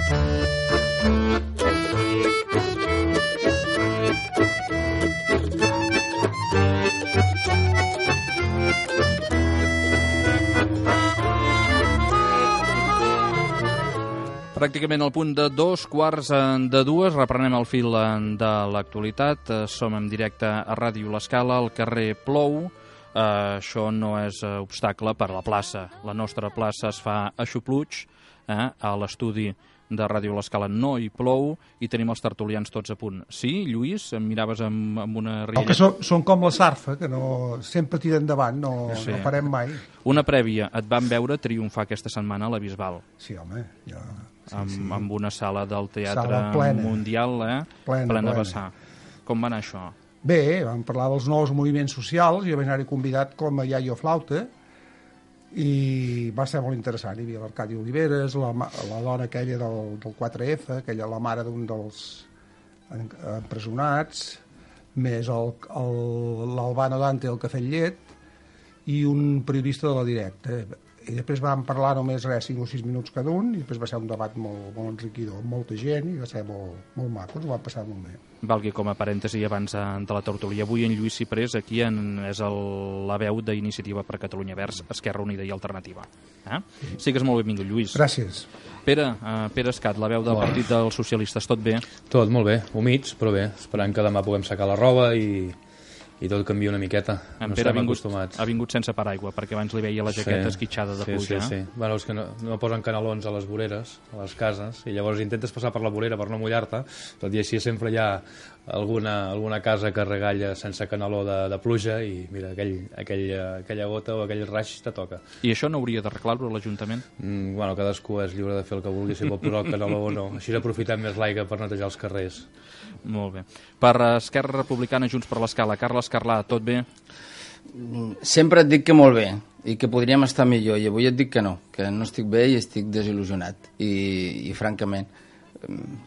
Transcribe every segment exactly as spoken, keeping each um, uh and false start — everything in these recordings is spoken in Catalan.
Pràcticament al punt de dos quarts de dues, reprenem el fil de l'actualitat. Som en directe a Ràdio L'Escala, al carrer Plou. Uh, això no és uh, obstacle per a la plaça. La nostra plaça es fa a Xupluig, eh? A l'estudi de Ràdio L'Escala no hi plou i tenim els tertulians tots a punt. Sí, Lluís, em miraves amb, amb una rialla. Que són, són com la sarfa, que no, sempre tira endavant, no, sí. no farem mai. Una prèvia, et van veure triomfar aquesta setmana a la Bisbal. Sí, home, jo... Sí, amb, sí. amb una sala del Teatre sala plena. Mundial, eh? Plena, plena plena. vessar. Com va anar això? Bé, vam parlar dels nous moviments socials, jo vaig anar-hi convidat com a iaio flauta, i va ser molt interessant. Hi havia l'Arcadi Oliveres, la, la dona aquella del, del quatre efa, aquella la mare d'un dels empresonats, més l'Albano Dante del Cafè Llet i un periodista de la Directa. I després vam parlar només res, cinc o sis minuts cada un, i després va ser un debat molt, molt enriquidor, amb molta gent, i va ser molt, molt maco, ens ho vam passar molt bé. Valgui com a parèntesi abans de la tertúlia. Avui en Lluís Ciprés aquí en, és el, la veu d'Iniciativa per Catalunya Verds, Esquerra Unida i Alternativa. Eh? Sigues molt benvingut, Lluís. Gràcies. Pere, uh, Pere Escat, la veu del Bona. Partit dels Socialistes, tot bé? Tot molt bé, humits, però bé, esperant que demà puguem secar la roba i... i tot canvia una miqueta, en no Pere estem ha vingut, acostumats. ha vingut sense paraigua, perquè abans li veia la jaqueta sí, esquitxada de sí, pluja. Sí, sí, sí. Bueno, és que no, no posen canalons a les voreres, a les cases, i llavors intentes passar per la vorera per no mullar-te, tot i així sempre hi ha alguna, alguna casa que regalla sense canaló de, de pluja i mira, aquell, aquell, aquella gota o aquell raig te toca. I això no hauria d'arreglar-ho a l'Ajuntament? Mm, bueno, cadascú és lliure de fer el que vulgui, si vol posar el canaló o no. Així aprofitem més l'aigua per netejar els carrers. Molt bé. Per Esquerra Republicana, Junts per l'Escala, Carles Carlà, tot bé? Sempre et dic que molt bé i que podríem estar millor, i avui et dic que no, que no estic bé i estic desil·lusionat i, i francament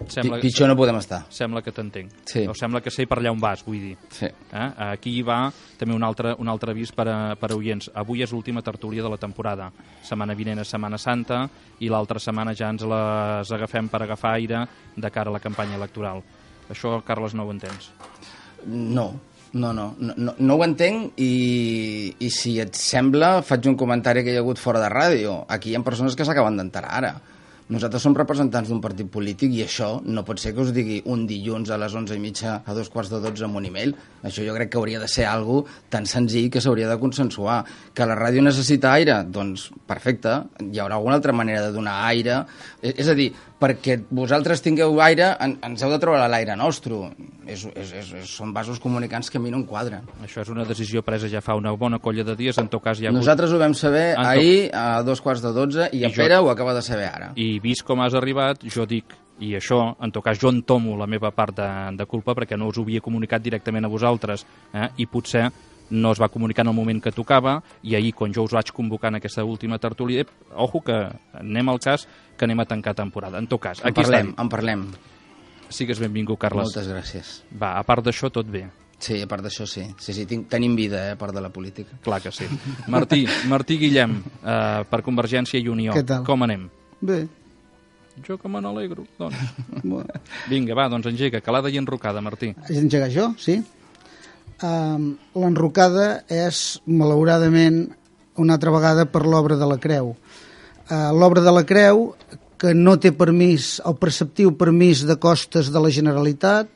sembla, pitjor no podem estar. Sembla que t'entenc. Sí. O sembla que sé per allà on vas, vull dir. Sí. Eh? Aquí hi va també un altre, un altre avís per a, per a oients. Avui és l'última tertúlia de la temporada. Setmana vinent és Setmana Santa i l'altra setmana ja ens les agafem per agafar aire de cara a la campanya electoral. Això, Carles, no ho entens? No, no, no, no, no ho entenc i, i si et sembla faig un comentari que hi ha hagut fora de ràdio. Aquí hi ha persones que s'acaben d'enterar ara. Nosaltres som representants d'un partit polític i això no pot ser que us digui un dilluns a les onze i mitja a dos quarts de dotze amb un email. Això jo crec que hauria de ser algo tan senzill que s'hauria de consensuar. Que la ràdio necessita aire? Doncs perfecte, hi haurà alguna altra manera de donar aire. És a dir, perquè vosaltres tingueu aire, en, ens heu de treure l'aire nostre. És, és, és, són vasos comunicants que a mi no em quadren. Això és una decisió presa ja fa una bona colla de dies, en tot cas hi ha hagut... Nosaltres ho vam saber en ahir a dos quarts de dotze i, I en Pere jo... ho acaba de saber ara. I vist com has arribat, jo dic, i això, en tot cas, jo entomo la meva part de, de culpa perquè no us ho havia comunicat directament a vosaltres, eh? I potser no es va comunicar en el moment que tocava, i ahir, quan jo us vaig convocar en aquesta última tertúlia, ojo que anem al cas que anem a tancar temporada. En tot cas, en aquí parlem, estem. En parlem. Sigues benvingut, Carles. Moltes gràcies. Va, a part d'això, tot bé. Sí, a part d'això sí. Sí, sí, tinc, tenim vida, eh, a part de la política. Clar que sí. Martí, Martí Guillem, eh, per Convergència i Unió. Què tal? Com anem? Bé. Jo que me n'alegro, doncs. Bueno. Vinga, va, doncs engega, calada i enrocada, Martí. Has d'engegar jo, sí? Um, L'enrocada és, malauradament, una altra vegada per l'obra de la Creu. Uh, l'obra de la Creu, que no té permís, el preceptiu permís de costes de la Generalitat,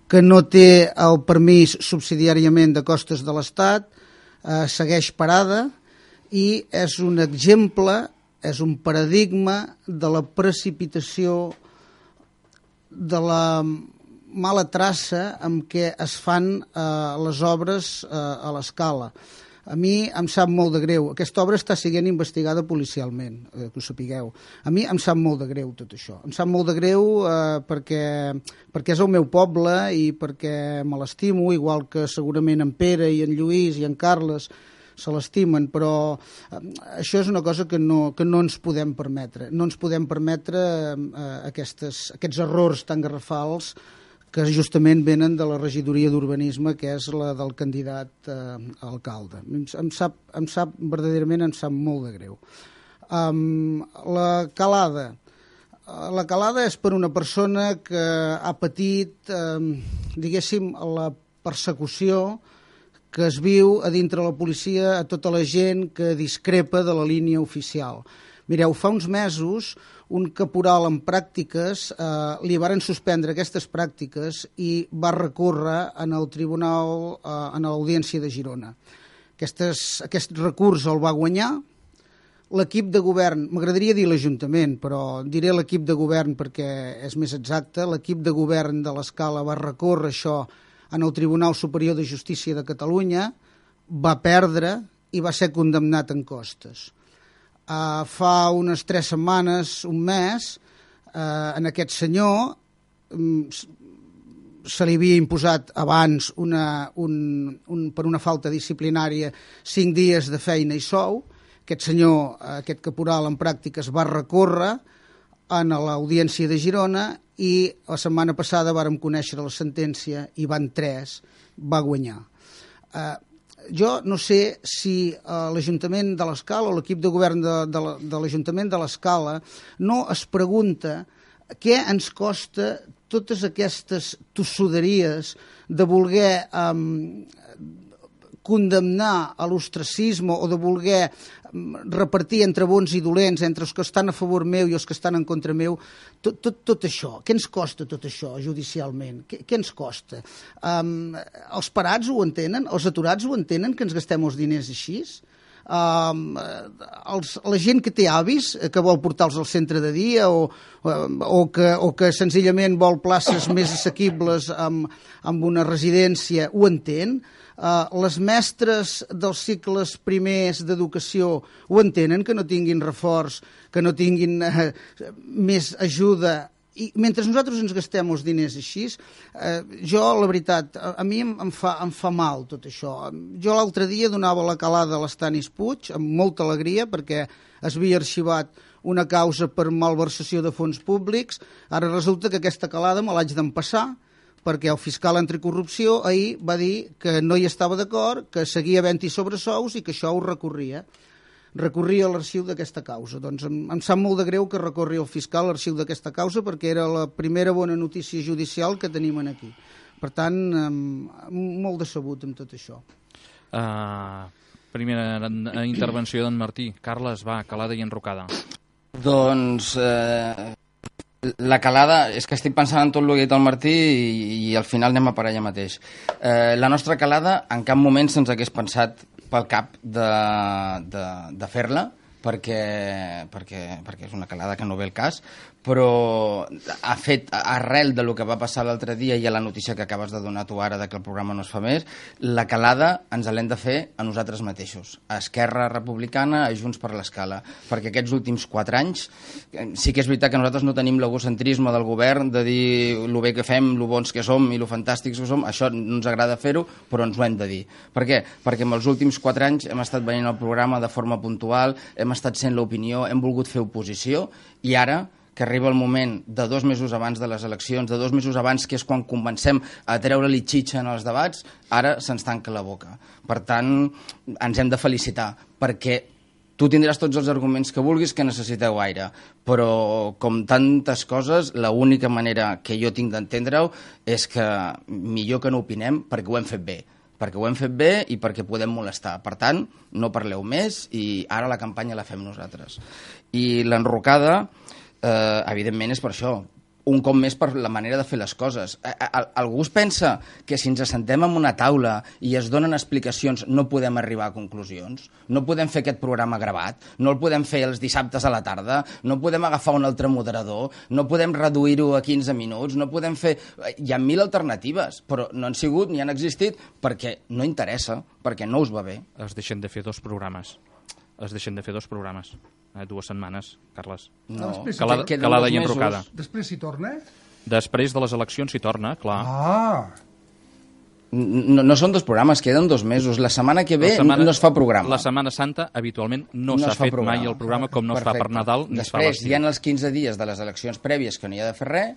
que no té el permís subsidiàriament de costes de l'Estat, uh, segueix parada i és un exemple, és un paradigma de la precipitació, de la mala traça amb què es fan eh, les obres eh, a l'escala. A mi em sap molt de greu. Aquesta obra està sent investigada policialment, eh, que ho sapigueu. A mi em sap molt de greu tot això. Em sap molt de greu eh, perquè, perquè és el meu poble i perquè me l'estimo, igual que segurament en Pere i en Lluís i en Carles se l'estimen, però eh, això és una cosa que no, que no ens podem permetre. No ens podem permetre eh, aquestes, aquests errors tan garrafals que justament venen de la regidoria d'urbanisme, que és la del candidat eh, a alcalde. Em, em, sap, em sap, verdaderament em sap molt de greu. Um, la calada, la calada és per una persona que ha patit, eh, diguéssim, la persecució que es viu a dintre la policia a tota la gent que discrepa de la línia oficial. Mireu, fa uns mesos un caporal en pràctiques eh, li varen suspendre aquestes pràctiques i va recórrer en el tribunal, eh, en l'Audiència de Girona. Aquestes, aquest recurs el va guanyar l'equip de govern, m'agradaria dir l'Ajuntament, però diré l'equip de govern perquè és més exacte, l'equip de govern de l'Escala va recórrer això en el Tribunal Superior de Justícia de Catalunya, va perdre i va ser condemnat en costes. Uh, fa unes tres setmanes, un mes, uh, en aquest senyor um, se li havia imposat abans una, un, un, per una falta disciplinària cinc dies de feina i sou. Aquest senyor, aquest caporal en pràctiques, va recórrer en l'Audiència de Girona i la setmana passada vàrem conèixer la sentència i van tres, va guanyar. Uh, jo no sé si uh, l'Ajuntament de l'Escala o l'equip de govern de, de, de l'Ajuntament de l'Escala no es pregunta què ens costa totes aquestes tossuderies de voler um, condemnar a l'ostracisme o de voler repartir entre bons i dolents, entre els que estan a favor meu i els que estan en contra meu, tot, tot, tot això. Què ens costa tot això judicialment? Què, què ens costa? Um, els parats ho entenen? Els aturats ho entenen, que ens gastem els diners així? Um, els, la gent que té avis, que vol portar-los al centre de dia o, o, que, o que senzillament vol places més assequibles amb, amb una residència, ho entén? Uh, les mestres dels cicles primers d'educació ho entenen, que no tinguin reforç, que no tinguin uh, més ajuda, i mentre nosaltres ens gastem els diners així, uh, jo, la veritat, a, a mi em, em, fa, em fa mal tot això. Jo l'altre dia donava la calada a l'Estanis Puig, amb molta alegria, perquè es havia arxivat una causa per malversació de fons públics. Ara resulta que aquesta calada me l'haig d'empassar, perquè el fiscal anticorrupció ahir va dir que no hi estava d'acord, que seguia havent-hi sobresous i que això ho recorria. Recorria a l'arxiu d'aquesta causa. Doncs em, em sap molt de greu que recorri el fiscal a l'arxiu d'aquesta causa perquè era la primera bona notícia judicial que tenim aquí. Per tant, em, molt decebut amb tot això. Uh, primera intervenció d'en Martí. Carles, va, calada i enrocada. Doncs... Eh... La calada, és que estic pensant en tot el que ha dit el Martí i, i al final anem a parar allà mateix. Eh, la nostra calada en cap moment se'ns hagués pensat pel cap de, de, de fer-la, perquè, perquè, perquè és una calada que no ve el cas, però ha fet, arrel de lo que va passar l'altre dia i a la notícia que acabes de donar tu ara de que el programa no es fa més, la calada ens l'hem de fer a nosaltres mateixos, a Esquerra Republicana, a Junts per l'Escala, perquè aquests últims quatre anys sí que és veritat que nosaltres no tenim l'egocentrisme del govern de dir lo bé que fem, lo bons que som i lo fantàstics que som, això no ens agrada fer-ho, però ens ho hem de dir. Per què? Perquè en els últims quatre anys hem estat venint al programa de forma puntual, hem estat sent l'opinió, hem volgut fer oposició i ara que arriba el moment de dos mesos abans de les eleccions, de dos mesos abans, que és quan comencem a treure-li xitxa en els debats, ara se'ns tanca la boca. Per tant, ens hem de felicitar, perquè tu tindràs tots els arguments que vulguis que necessiteu aire, però com tantes coses, l'única manera que jo tinc d'entendre-ho és que millor que no opinem perquè ho hem fet bé. perquè ho hem fet bé i perquè podem molestar. Per tant, no parleu més i ara la campanya la fem nosaltres. I l'enrocada, eh, evidentment, és per això. Un cop més per la manera de fer les coses. Algú es pensa que si ens assentem en una taula i es donen explicacions no podem arribar a conclusions? No podem fer aquest programa gravat? No el podem fer els dissabtes a la tarda? No podem agafar un altre moderador? No podem reduir-ho a quinze minuts? No podem fer... Hi ha mil alternatives, però no han sigut ni han existit perquè no interessa, perquè no us va bé. Es deixen de fer dos programes. Es deixen de fer dos programes. Eh, dues setmanes, Carles. No, calada, calada i enrocada. Després s'hi torna? Després de les eleccions s'hi torna, clar. Ah! No, no són dos programes, queden dos mesos. La setmana que ve setmana, no es fa programa. La Setmana Santa habitualment no, no s'ha fet programa. Mai el programa, com no Perfecte. Es fa per Nadal ni Després, es fa l'estiu. Després hi ha els quinze dies de les eleccions prèvies que no hi ha de fer res,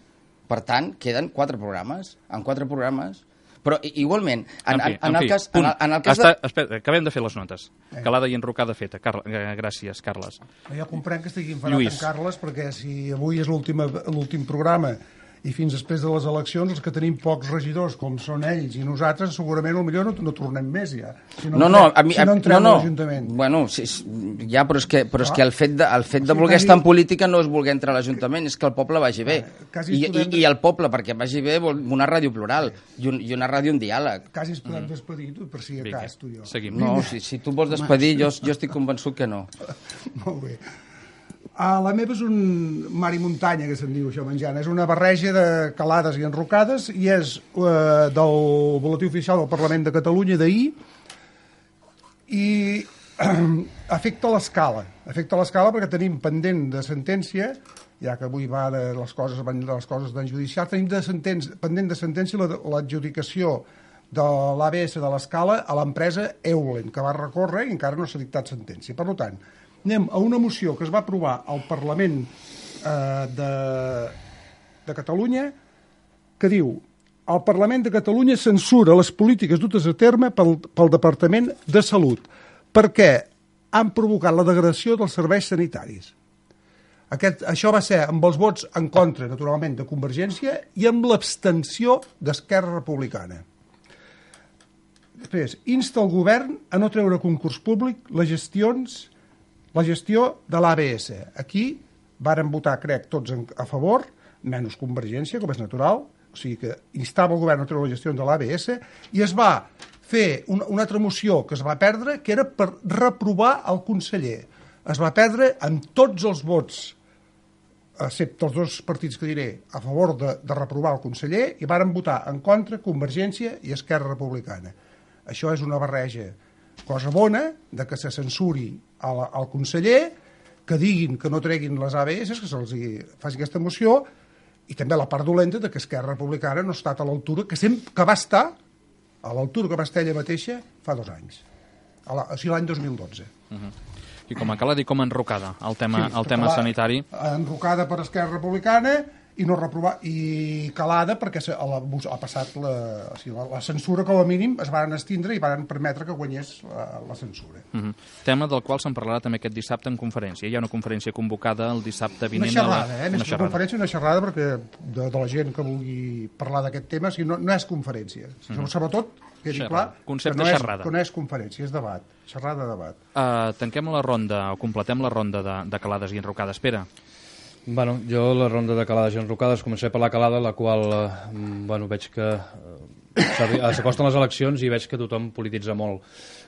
per tant, queden quatre programes. En quatre programes... Però igualment, en, En fi, en, en, en el fi, cas, en, punt. el, en el cas Està, de... espera, acabem de fer les notes. Calada i enrocada feta. Car... Gràcies, Carles. Jo comprenc que estigui enfadat Lluís. en Carles, perquè si avui és l'últim programa i fins després de les eleccions els que tenim pocs regidors, com són ells i nosaltres, segurament potser no, no tornem més ja. Si no, No, no, a mi, si no entrem no, no. a l'Ajuntament. Bueno, sí, ja, però és que, però és Ah. que el fet de, el fet de O sigui, voler quasi- estar en política no és voler entrar a l'Ajuntament, és que el poble vagi bé. quasi I, ens podem- i, I el poble, perquè vagi bé, vol una ràdio plural i, un, i una ràdio en diàleg. Quasi ens podem despedir, tu, per si a Vinga, cas, tu i jo. seguim. No, si, si tu vols despedir, jo, jo estic convençut que no. Molt bé. Uh, la meva és un mar i muntanya, que se'n diu això, menjant. És una barreja de calades i enrocades i és uh, del Boletí Oficial del Parlament de Catalunya d'ahir i uh, afecta l'escala. Afecta l'escala perquè tenim pendent de sentència, ja que avui va de les coses, van de les coses d'en judicial, tenim de sentència, pendent de sentència l'adjudicació de l'A B S de l'escala a l'empresa Eulen, que va recórrer i encara no s'ha dictat sentència. Per tant, anem a una moció que es va aprovar al Parlament eh, de, de Catalunya que diu: el Parlament de Catalunya censura les polítiques dutes a terme pel, pel Departament de Salut perquè han provocat la degradació dels serveis sanitaris. Aquest, això va ser amb els vots en contra, naturalment, de Convergència i amb l'abstenció d'Esquerra Republicana. Després, insta el govern a no treure a concurs públic les gestions la gestió de l'A B S. Aquí varen votar, crec, tots a favor, menys Convergència, com és natural, o sigui que instava el govern a treure la gestió de l'A B S, i es va fer una, una altra moció que es va perdre, que era per reprovar el conseller. Es va perdre amb tots els vots, excepte els dos partits que diré, a favor de, de reprovar el conseller, i varen votar en contra Convergència i Esquerra Republicana. Això és una barreja, cosa bona, de que se censuri al, al conseller, que diguin que no treguin les A B S, que se'ls faci aquesta moció, i també la part dolenta de que Esquerra Republicana no ha estat a l'altura, que sempre que va estar a l'altura que va estar ella mateixa fa dos anys, a la, o sigui, l'any dos mil dotze. Uh-huh. I com a calada i com a enrocada, el tema, Sí, el tema calada, sanitari. Enrocada per Esquerra Republicana i no reprovar, i calada perquè se, la, ha passat la, o sigui, la, la censura, com a mínim, es van estindre i van permetre que guanyés la, la censura. Uh-huh. Tema del qual se'n parlarà també aquest dissabte en conferència. Hi ha una conferència convocada el dissabte vinent. Una xerrada, a la... eh? Més una que una conferència, una xerrada, perquè de, de la gent que vulgui parlar d'aquest tema, o sigui, no, no és conferència. O sigui, uh-huh. Sobretot, quedi Xerrada. clar, Concepte que no és, xerrada. que no és conferència, és debat. Xerrada, debat. Uh, tanquem la ronda, o completem la ronda de, de calades i enrocades. Espera. Bueno, jo la ronda de calades i enrocades comencé per la calada, la qual eh, bueno, veig que eh, s'acosten les eleccions i veig que tothom polititza molt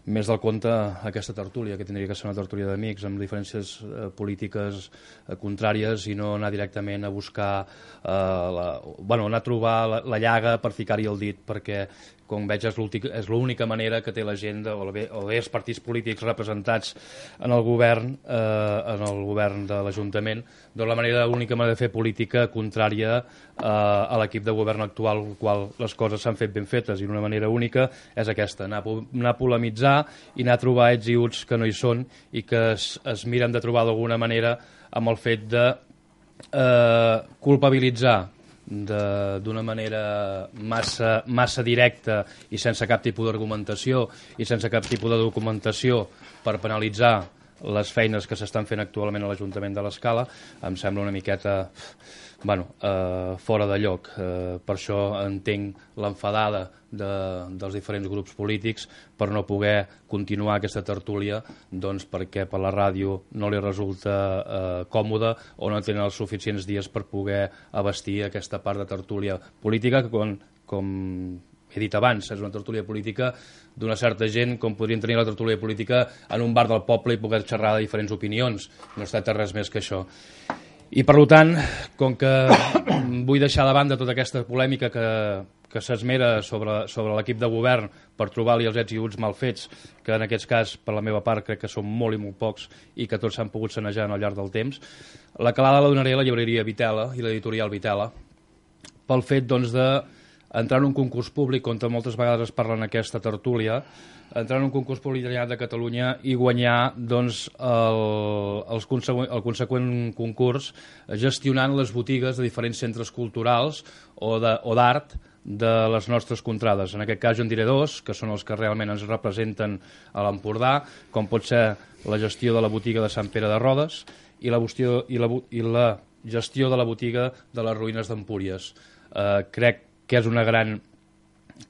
més del compte aquesta tertúlia, que tindria que ser una tertúlia d'amics amb diferències eh, polítiques eh, contràries i no anar directament a buscar eh, la, bueno, anar a trobar la, la llaga per ficar-hi el dit, perquè com veig és l'única manera que té la gent de, o bé els partits polítics representats en el govern eh, en el govern de l'Ajuntament, doncs la manera l'única manera de fer política contrària eh, a l'equip de govern actual, el qual les coses s'han fet ben fetes, i una manera única és aquesta, anar, anar a polemitzar i anar a trobar ets i uts que no hi són i que es, es miren de trobar d'alguna manera amb el fet de eh, culpabilitzar d'una manera massa, massa directa i sense cap tipus d'argumentació i sense cap tipus de documentació per penalitzar les feines que s'estan fent actualment a l'Ajuntament de l'Escala, em sembla una miqueta bueno, eh, fora de lloc. Eh, per això entenc l'enfadada de, dels diferents grups polítics per no poder continuar aquesta tertúlia, doncs perquè per la ràdio no li resulta eh, còmode o no tenen els suficients dies per poder abastir aquesta part de tertúlia política que, com, com he dit abans, és una tertúlia política d'una certa gent, com podrien tenir la tertúlia política en un bar del poble i poder xerrar de diferents opinions. No es tracta res més que això. I, per tant, com que vull deixar de banda tota aquesta polèmica que, que s'esmera sobre, sobre l'equip de govern per trobar-li els ets i uts mal fets, que en aquest cas, per la meva part, crec que són molt i molt pocs i que tots s'han pogut sanejar al llarg del temps, la calada la donaré a la llibreria Vitela i l'editorial Vitela pel fet, doncs, de entrar en un concurs públic, on moltes vegades es parla en aquesta tertúlia, entrar en un concurs públic de Catalunya i guanyar doncs, el, el, consegüent, el conseqüent concurs gestionant les botigues de diferents centres culturals o d'art de les nostres contrades. En aquest cas jo en diré dos, que són els que realment ens representen a l'Empordà, com pot ser la gestió de la botiga de Sant Pere de Rodes i la, gestió, i la, i la gestió de la botiga de les ruïnes d'Empúries. Eh, crec que és una gran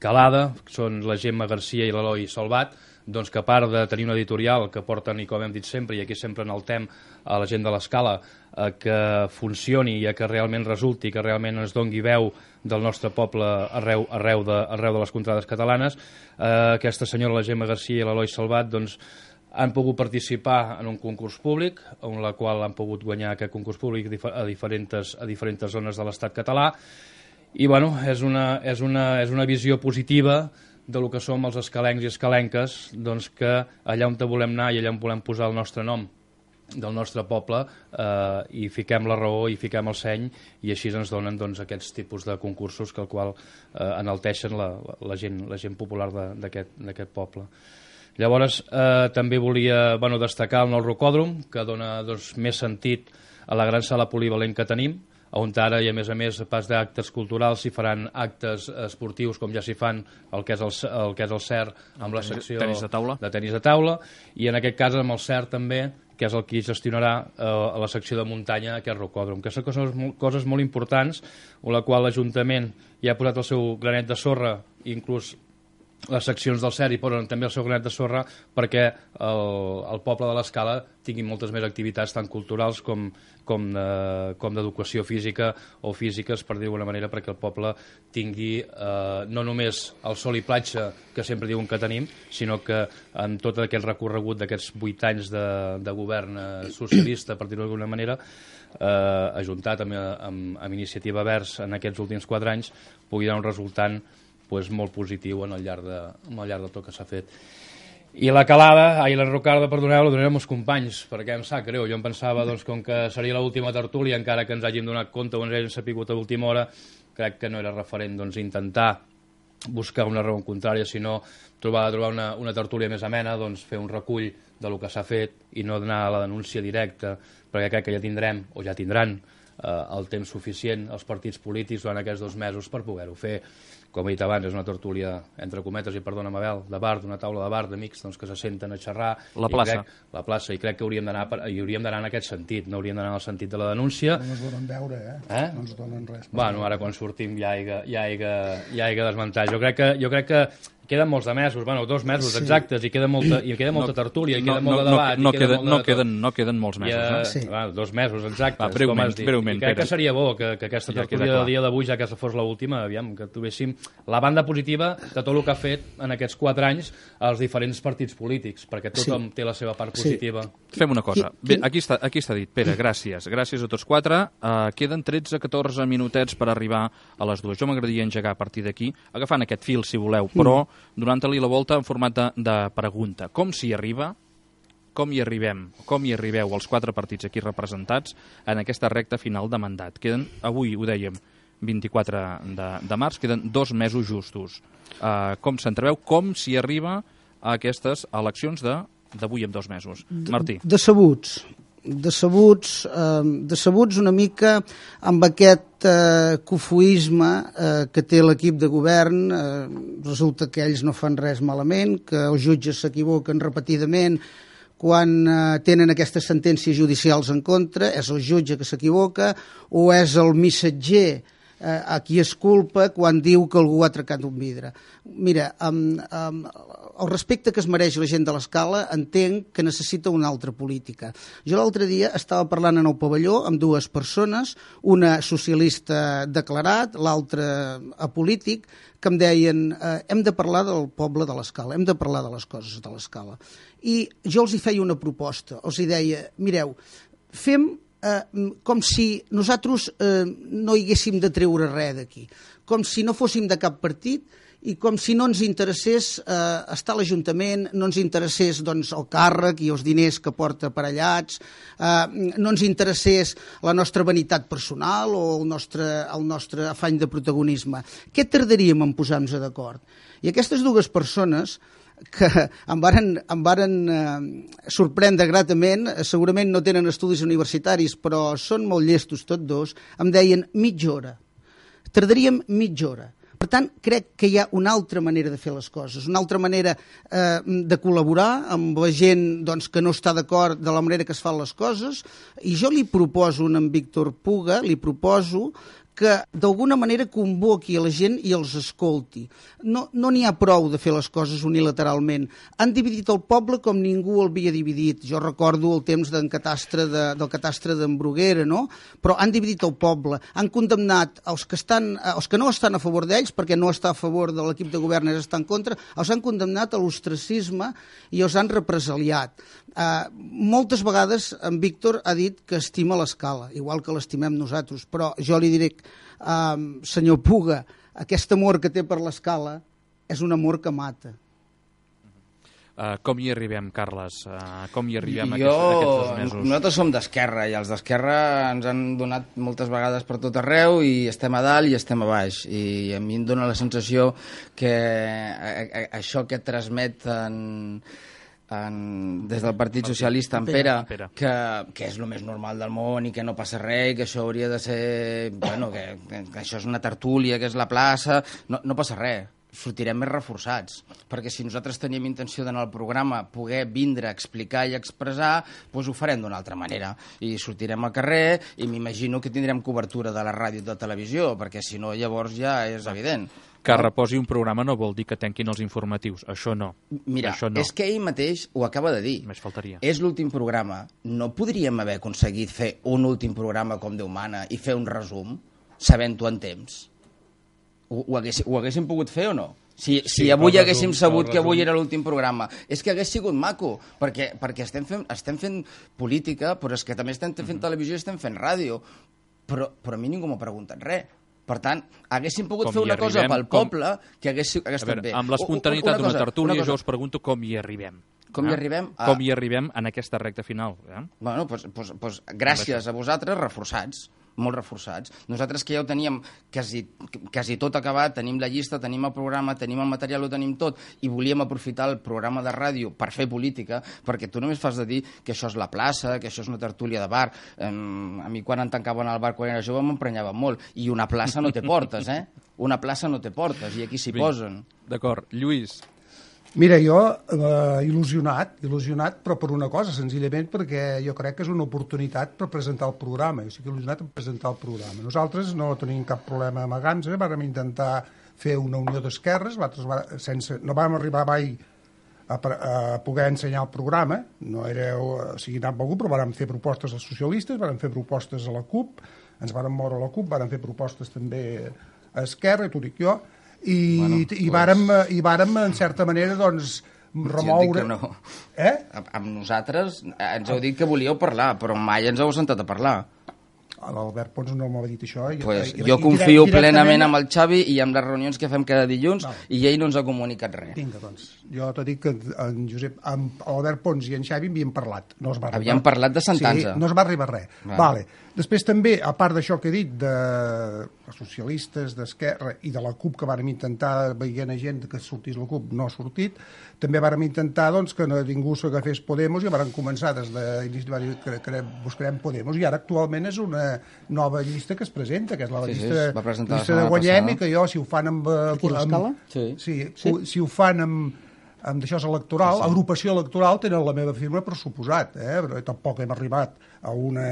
calada, són la Gemma Garcia i l'Eloi Salvat, doncs que a part de tenir una editorial que porten, i com hem dit sempre, i aquí sempre enaltem a la gent de l'Escala, eh, que funcioni i que realment resulti, que realment ens dongui veu del nostre poble arreu, arreu, de, arreu de les contrades catalanes, eh, aquesta senyora, la Gemma Garcia i l'Eloi Salvat, doncs, han pogut participar en un concurs públic, en la qual han pogut guanyar aquest concurs públic a diferents, a diferents zones de l'estat català, i bueno, és una, és una, és una visió positiva del que som els escalencs i escalenques, doncs que allà on volem anar i allà on volem posar el nostre nom del nostre poble, eh, i fiquem la raó i fiquem el seny, i així ens donen doncs, aquests tipus de concursos que el qual eh, enalteixen la, la, la, gent, la gent popular d'aquest poble. Llavors, eh, també volia bueno, destacar el nou rocòdrom, que dona doncs, més sentit a la gran sala polivalent que tenim, on ara, i a més a més, a pas d'actes culturals, s'hi faran actes esportius, com ja s'hi fan el que és el, el, que és el C E R, amb la secció tenis de taula. de tenis de taula, i en aquest cas amb el C E R també, que és el qui gestionarà eh, a la secció de muntanya aquest rocòdrom, que són coses, coses molt importants, on la qual l'Ajuntament ja ha posat el seu granet de sorra, inclús les seccions del C E R hi posen també el seu granet de sorra perquè el, el poble de l'Escala tingui moltes més activitats tant culturals com, com, eh, com d'educació física o físiques, per dir d'alguna manera, perquè el poble tingui eh, no només el sol i platja que sempre diuen que tenim, sinó que en tot aquest recorregut d'aquests vuit anys de, de govern eh, socialista, per dir-ho d'alguna manera, eh, ajuntat amb, amb, amb Iniciativa Verds en aquests últims quatre anys, pugui donar un resultant pues, molt positiu en el llarg de, en el llarg de tot que s'ha fet. I la calada, ai, la rocarda, perdoneu, la donarem als companys, perquè em sap greu. Jo em pensava doncs, com que seria l'última tertúlia, encara que ens hàgim donat compte o ens hàgim sapigut a l'última hora, crec que no era referent doncs, intentar buscar una raó contrària, sinó trobar, trobar una, una tertúlia més amena, doncs, fer un recull del que s'ha fet i no donar la denúncia directa, perquè crec que ja tindrem, o ja tindran, eh, el temps suficient els partits polítics durant aquests dos mesos per poder-ho fer. Com he dit abans, és una tertúlia, entre cometes, i perdona, Mabel, de bar, d'una taula de bar d'amics doncs, que se senten a xerrar. La plaça. I crec, la plaça, i crec que hauríem d'anar hi hauríem d'anar en aquest sentit, no hauríem d'anar en el sentit de la denúncia. No ens donen veure, eh? eh? No ens donen res. Bueno, ara quan sortim ja hi ha, ja hi ha, ja hi ha desmuntar. Jo crec que, jo crec que queden molts de mesos, bueno, dos mesos sí. exactes, i queda molta, i queda molta no, tertúlia, i queda no, molt de debat. No, no, i queda queden, molt de no, queden, no queden molts mesos. Ja, eh? sí. va, dos mesos exactes, va, breument, com has dit. Breument, I crec Pere. que seria bo que, que aquesta ja tertúlia del dia d'avui, ja que fos l'última, aviam, que trobéssim la banda positiva de tot el que ha fet en aquests quatre anys als diferents partits polítics, perquè tothom sí. té la seva part positiva. Sí. Fem una cosa. Bé, aquí està, aquí està dit. Pere, gràcies. Gràcies a tots quatre. Uh, queden tretze a catorze minutets per arribar a les dues. Jo m'agradaria engegar a partir d'aquí, agafant aquest fil, si voleu, però donant-li la volta en format de, de pregunta. Com s'hi arriba? Com hi arribem? Com hi arribeu els quatre partits aquí representats en aquesta recta final de mandat? Queden, avui ho dèiem, vint-i-quatre de, de març, queden dos mesos justos. Uh, com s'entreveu? Com s'hi arriba a aquestes eleccions d'avui en dos mesos? Martí. Decebuts. Decebuts, eh, decebuts una mica amb aquest eh, cofoisme eh, que té l'equip de govern. Eh, resulta que ells no fan res malament, que els jutges s'equivoquen repetidament quan eh, tenen aquestes sentències judicials en contra, és el jutge que s'equivoca o és el missatger eh, a qui es culpa quan diu que algú ha trencat un vidre. Mira, amb, amb el respecte que es mereix la gent de l'Escala, entenc que necessita una altra política. Jo l'altre dia estava parlant en el pavelló amb dues persones, una socialista declarat, l'altra apolític, que em deien eh, hem de parlar del poble de l'Escala, hem de parlar de les coses de l'Escala. I jo els hi feia una proposta, els hi deia, mireu, fem eh, com si nosaltres eh, no hi haguéssim de treure res d'aquí, com si no fóssim de cap partit, i com si no ens interessés eh, estar a l'Ajuntament, no ens interessés doncs, el càrrec i els diners que porta aparellats, eh, no ens interessés la nostra vanitat personal o el nostre, el nostre afany de protagonisme. Què tardaríem en posar-nos d'acord? I aquestes dues persones que em varen, em varen eh, sorprendre gratament, segurament no tenen estudis universitaris, però són molt llestos tots dos, em deien mitja hora. Tardaríem mitja hora. Per tant, crec que hi ha una altra manera de fer les coses, una altra manera eh, de col·laborar amb la gent doncs, que no està d'acord de la manera que es fan les coses, i jo li proposo a en Víctor Puga, li proposo que d'alguna manera convoqui a la gent i els escolti. No no n'hi ha prou de fer les coses unilateralment. Han dividit el poble com ningú el havia dividit. Jo recordo el temps d'en Catastre de, del Catastre d'en Bruguera, no? Però han dividit el poble. Han condemnat els que, estan, els que no estan a favor d'ells, perquè no està a favor de l'equip de govern, és estar en contra, els han condemnat a l'ostracisme i els han represaliat. Uh, moltes vegades en Víctor ha dit que estima l'Escala, igual que l'estimem nosaltres, però jo li diré, uh, senyor Puga, aquest amor que té per l'Escala és un amor que mata. Uh, com hi arribem, Carles? Uh, com hi arribem jo, aquests, aquests dos mesos? Nosaltres som d'Esquerra i els d'Esquerra ens han donat moltes vegades per tot arreu i estem a dalt i estem a baix, i a mi em dóna la sensació que a, a, això que transmeten En, des del Partit Socialista en Pere, Pere. Que, que és el més normal del món i que no passa res i que això hauria de ser bueno, que, que això és una tertúlia, que és la plaça, no, no passa res, sortirem més reforçats, perquè si nosaltres teníem intenció d'anar al programa, poder vindre a explicar i expressar, doncs ho farem d'una altra manera i sortirem al carrer i m'imagino que tindrem cobertura de la ràdio i de la televisió, perquè si no llavors ja és evident. Que reposi un programa no vol dir que tanquin els informatius. Això no. Mira, Això no. és que ell mateix ho acaba de dir. Més faltaria. És l'últim programa. No podríem haver aconseguit fer un últim programa com Déu mana i fer un resum, sabent-ho en temps? Ho, ho, haguéssim, ho haguéssim pogut fer o no? Si, Sí, si avui el haguéssim resum, sabut el que avui resum. era l'últim programa, és que hagués sigut maco, perquè, perquè estem, fent, estem fent política, però és que també estem fent Mm-hmm. televisió i estem fent ràdio. Però, però a mi ningú m'ha preguntat res. Per tant, haguéssim pogut Com fer hi una cosa arribem, pel com- poble que hagués, hagués A veure, estat bé. amb l'espontaneïtat Una d'una cosa, tertúlia, una cosa. jo us pregunto com hi arribem. Com hi Eh? arribem? A... Com hi arribem en aquesta recta final. Eh? Bueno, pues, pues, pues, gràcies a vosaltres, reforçats, molt reforçats. Nosaltres que ja ho teníem quasi, quasi tot acabat, tenim la llista, tenim el programa, tenim el material, ho tenim tot, i volíem aprofitar el programa de ràdio per fer política, perquè tu només fas de dir que això és la plaça, que això és una tertúlia de bar. Um, a mi quan em tancaven al bar quan era jove m'emprenyava molt, i una plaça no té portes, eh? Una plaça no té portes, i aquí s'hi posen. D'acord. Lluís, Mira, jo eh, il·lusionat, il·lusionat, però per una cosa, senzillament perquè jo crec que és una oportunitat per presentar el programa. Jo estic il·lusionat en presentar el programa. Nosaltres no tenim cap problema amb Aganza, vàrem intentar fer una unió d'esquerres, nosaltres va, sense, no vam arribar mai a, a poder ensenyar el programa, no éreu assignat per algú, però vàrem fer propostes als socialistes, vàrem fer propostes a la CUP, ens vàrem moure a la CUP, vàrem fer propostes també a Esquerra, i t'ho dic jo, i, bueno, i, pues... vàrem, i vàrem, en certa manera, doncs, remoure... Jo dic que no. Eh? Amb, amb nosaltres ens heu dit que volíeu parlar, però mai ens heu sentat a parlar. L'Albert Pons no m'ha dit això. I, Pues i, jo i confio direct, plenament amb el Xavi i amb les reunions que fem cada dilluns, No. i ell no ens ha comunicat res. Vinga, doncs, jo t'ho dic que en Josep, amb l'Albert Pons i en Xavi havíem parlat. No es va arribar. Havíem parlat de Santanza. Sí, no es va arribar res. Vale. Vale. Després també, a part d'això que he dit, de socialistes, d'Esquerra i de la CUP, que vàrem intentar, veient a gent que sortís la CUP, no ha sortit, també vàrem intentar doncs, que no ningú s'agafés Podemos, i vàrem començar des d'iniciativa que, que buscarem Podemos, i ara actualment és una nova llista que es presenta, que és la Sí, sí, llista, es va presentar la llista de setmana Guanyem, passada. i que jo, si ho fan amb... Aquí a l'Escala? amb Sí. sí, sí. Si ho fan amb, amb d'això és electoral, sí, sí. Agrupació electoral, tenen la meva firma per suposat, eh? Però tampoc hem arribat a una...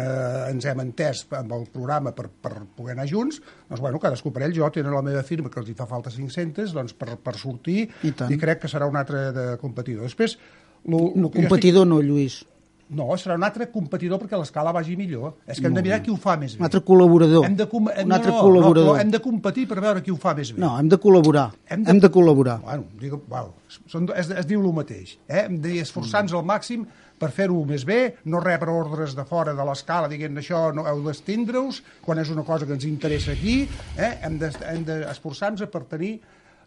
ens hem entès amb el programa per, per poder anar junts, doncs bueno, cadascú per ell, jo tenen la meva firma, que els hi fa falta cinc-centes, doncs per, per sortir, I tant. i crec que serà un altre de competidor. Després, lo, lo No, que jo competidor no, Lluís. Estic... No, serà un altre competidor perquè l'escala vagi millor. És que hem de mirar qui ho fa més bé. Un altre col·laborador. Hem de, com... hem, un altre no, no, col·laborador. No, hem de competir per veure qui ho fa més bé. No, hem de col·laborar. Hem de, hem de col·laborar. Bueno, digue, bueno, són, es, es diu el mateix. Eh? Hem d'esforçar-nos al màxim per fer-ho més bé, no rebre ordres de fora de l'escala dient això no heu d'estindre-us, quan és una cosa que ens interessa aquí. Eh? Hem d'esforçar-nos per tenir,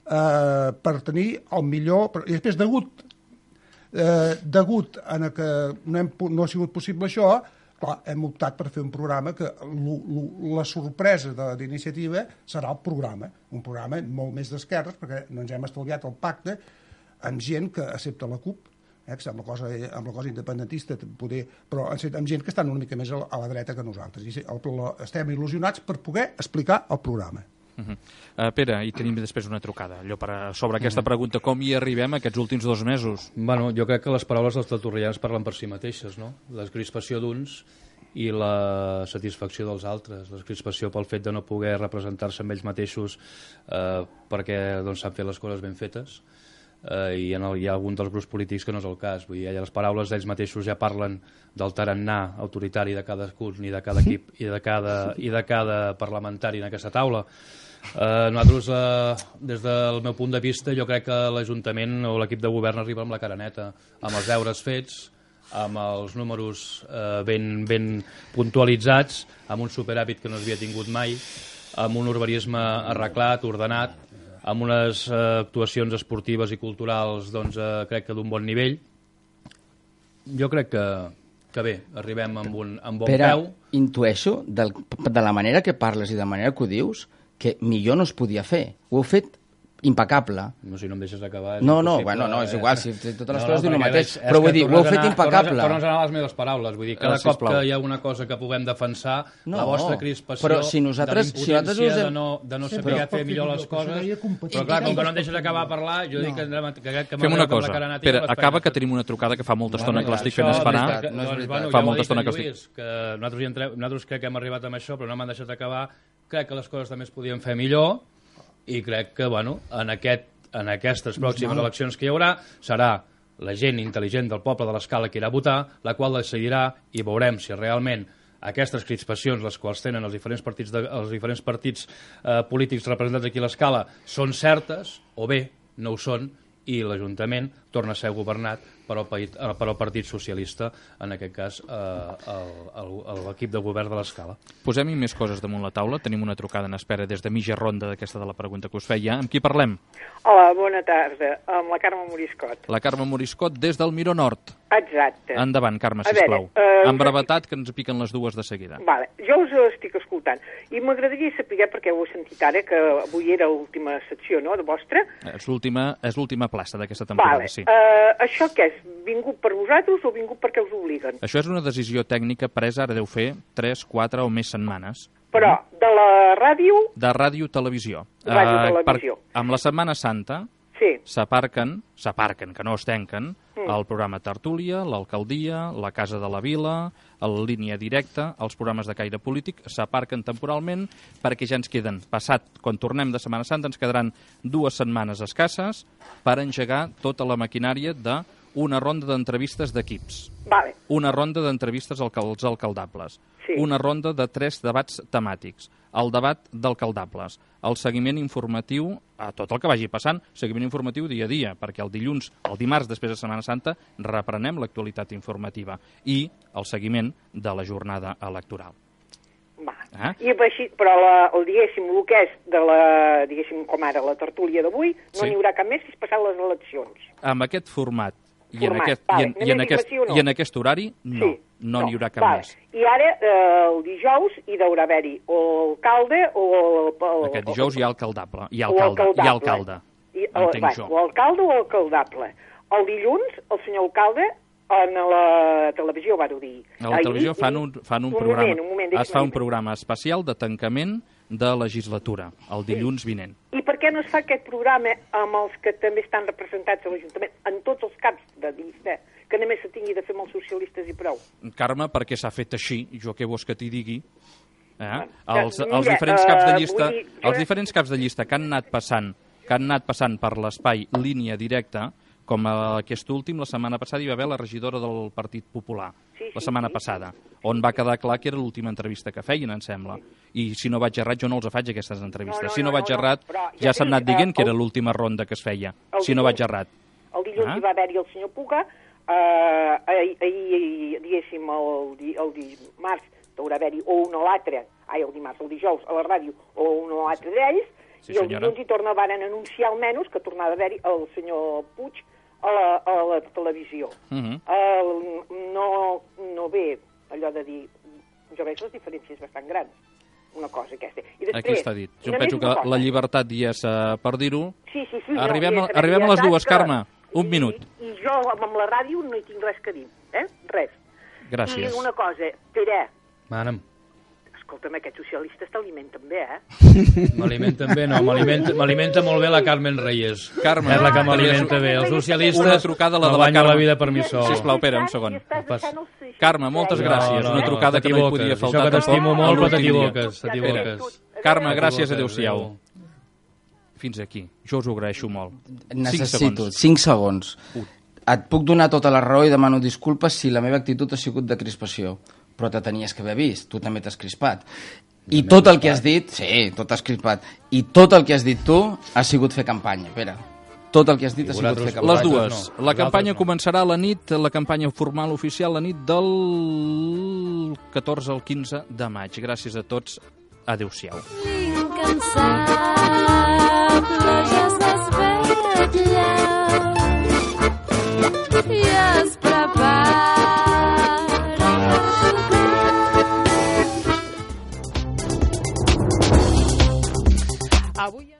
eh, per tenir el millor... I després, degut, eh, degut a que no, hem, no ha sigut possible això, clar, hem optat per fer un programa que lo, lo, la sorpresa d'iniciativa serà el programa, un programa molt més d'esquerres, perquè no ens hem estalviat el pacte amb gent que accepta la CUP, eh, que amb la cosa, amb la cosa independentista, poder, però amb gent que estan una mica més a la, a la dreta que nosaltres. I el, el, estem il·lusionats per poder explicar el programa. Uh -huh. uh, Pere, i tenim després una trucada allò per, sobre aquesta pregunta, com hi arribem aquests últims dos mesos? Bueno, jo crec que les paraules dels tertulians parlen per si mateixes, no? La crispació d'uns i la satisfacció dels altres, la crispació pel fet de no poder representar-se amb ells mateixos eh, perquè doncs, s'han fet les coses ben fetes, eh, i en el, hi ha algun dels grups polítics que no és el cas. Vull dir, les paraules d'ells mateixos ja parlen del tarannà autoritari de cadascun i de cada equip i de cada, i de cada parlamentari en aquesta taula. Eh, nosaltres, eh, des del meu punt de vista, jo crec que l'Ajuntament o l'equip de govern arriba amb la cara neta, amb els deures fets, amb els números eh, ben, ben puntualitzats, amb un superàvit que no s'havia tingut mai, amb un urbanisme arreglat, ordenat, amb unes eh, actuacions esportives i culturals, doncs, eh, crec que d'un bon nivell. Jo crec que, que bé, arribem amb un amb bon Pere, peu. intueixo, del, de la manera que parles i de la manera que ho dius, que millor no es podia fer. Ho heu fet impecable. No, si no em deixes acabar... No, no, bueno, no, és igual, si totes les no, coses no, diuen el mateix, és, però és vull dir, ho heu fet anar, impecable. Tornes a anar a les meves paraules, vull dir, cada Ah, cop sisplau. que hi ha alguna cosa que puguem defensar, No, la vostra crispació, però si nosaltres- de si nosaltres l'impotència, us hem- de no, de no Sí, saber però- fer millor les coses, però clar, com que no em deixes acabar de parlar, jo dic que, que, que, que Fem una m'agrada cosa, la cara nata i Pere, les acaba peines. que tenim una trucada que fa molta estona que l'estic Això, fent esperar. veritat, no és doncs, veritat. bueno, Fa ja ho molta ha dit estona en que estic- Lluís, que nosaltres, hi entrem, nosaltres crec que hem arribat amb això, però no m'han deixat acabar. Crec que les coses també es podien fer millor i crec que, bueno, en, aquest, en aquestes pròximes eleccions que hi haurà serà la gent intel·ligent del poble de l'Escala que irà a votar, la qual decidirà i veurem si realment aquestes crispacions, les quals tenen els diferents partits, de, els diferents partits eh, polítics representats aquí a l'Escala, són certes o bé no ho són, i l'Ajuntament torna a ser governat per al, paït, per al Partit Socialista, en aquest cas eh, l'equip de govern de l'Escala. Posem-hi més coses damunt la taula. Tenim una trucada en espera des de mitja ronda d'aquesta de la pregunta que us feia. Amb qui parlem? Hola, bona tarda. Amb la Carme Moriscot. La Carme Moriscot des del Miró Nord. Exacte. Endavant, Carme, A veure, sisplau. eh, Amb brevetat, que ens piquen les dues de seguida. Vale, jo us estic escoltant i m'agradaria saber, perquè ho he sentit ara, que avui era l'última secció, no?, de vostra. És l'última és l'última plaça d'aquesta temporada, Vale, sí. eh, això què és? Vingut per vosaltres o vingut perquè us obliguen? Això és una decisió tècnica presa, ara deu fer tres, quatre o més setmanes. Però de la ràdio, De ràdio-televisió. Ràdio-televisió. per, amb la Setmana Santa sí. s'aparquen, s'aparquen, que no es tanquen, Mm. el programa Tertúlia, l'Alcaldia, la Casa de la Vila, el Línia Directa, els programes de caire polític, s'aparquen temporalment perquè ja ens queden, passat, quan tornem de Setmana Santa, ens quedaran dues setmanes escasses per engegar tota la maquinària de una ronda d'entrevistes d'equips, Vale. una ronda d'entrevistes als alcaldables, Sí. una ronda de tres debats temàtics, el debat d'alcaldables, el seguiment informatiu a tot el que vagi passant, seguiment informatiu dia a dia, perquè el dilluns, el dimarts després de Setmana Santa, reprenem l'actualitat informativa i el seguiment de la jornada electoral. Va. Ah. I així, però la, el, diguéssim, el que és de la, diguéssim, com ara, la tertúlia d'avui, no Sí. n'hi haurà cap més fins passar les eleccions. Amb aquest format i en Format, aquest, vale. i en, i Només en dic aquest, sí o no? i en aquest horari, no, Sí. no n'hi haurà cap vale. més. I ara, eh, el dijous, hi deurà haver-hi o alcalde o... o Aquest dijous hi ha alcaldable, hi ha o alcalde, hi ha alcaldable. alcalde, I, o, entenc va, jo. o alcalde o alcaldable. El dilluns, el senyor alcalde, en la televisió va dir... A la televisió fan un, fan un, un programa, moment, un moment, es fa un deixa'm- programa especial de tancament de legislatura, el dilluns vinent. I per què no es fa aquest programa amb els que també estan representats a l'Ajuntament, en tots els caps de llista, que només se tingui de fer amb els socialistes i prou? Carme, perquè s'ha fet així, jo què vols que t'hi digui? Eh? Bueno, Els, mira, els diferents caps de eh, llista, vull dir, jo- els diferents caps de llista que han anat passant, que han anat passant per l'espai línia directa, com aquest últim, la setmana passada hi va haver la regidora del Partit Popular, Sí, sí, la setmana sí. passada, on va quedar clar que era l'última entrevista que feien, em sembla. I si no vaig errat, jo no els faig aquestes entrevistes. No, no, si no, no, vaig no, no, errat, però ja ja s'ha dic, anat dient eh, que era el- l'última ronda que es feia, el si no dilluns- vaig errat. El dilluns Ah. hi va haver-hi el senyor Puga, eh, ahir, ahir, diguéssim, el, di, el dimarts haurà haver-hi o un o l'altre, ai, el dimarts, el dijous, a la ràdio, o un o l'altre d'ells, Sí, i el senyora. dilluns hi torna, van anunciar almenys que tornava a haver-hi el senyor Puig a la, a la televisió. Uh -huh. el, no, no ve allò de dir... Jo veig les diferències bastant grans, una cosa aquesta. I després, Aquí està dit. Jo només penso que una cosa. la llibertat hi és uh, per dir-ho. Sí, sí, sí. Arribem, no, a, i és arribem a les veritat dues, que- Carme. Un i, minut. I, I jo amb la ràdio no hi tinc res que dir, eh? Res. Gràcies. I una cosa, Pere, Mana'm. escolta'm, aquests socialistes t'alimenten bé, eh? M'alimenten bé, no, m'alimenta m'alimenta molt bé la Carmen Reyes. Carme, és la que ah, m'alimenta bé. Els socialistes una trucada, la de me la guanyo Carme. la vida per mi sol. Sisplau, Pere, un segon. Pas. Carme, moltes gràcies. No, no, una trucada que no hi podia faltar. Això que t'estimo molt, però t'equivoques. t'equivoques. Carme, gràcies, adéu-siau. Fins aquí. Jo us ho agraeixo molt. Necessito cinc segons. Et puc donar tota la raó i demano disculpes si la meva actitud ha sigut de crispació, però te tenies que haver vist, tu també t'has crispat. I tot el que has dit, sí, tot has crispat, i tot el que has dit tu ha sigut fer campanya, Pere. Tot el que has dit ha sigut fer campanya. Les dues. La campanya començarà a la nit, la campanya formal oficial, la nit del catorze al quinze de maig. Gràcies a tots. Adéu-siau. L'incansable ja s'espatlla i es prepara. Avui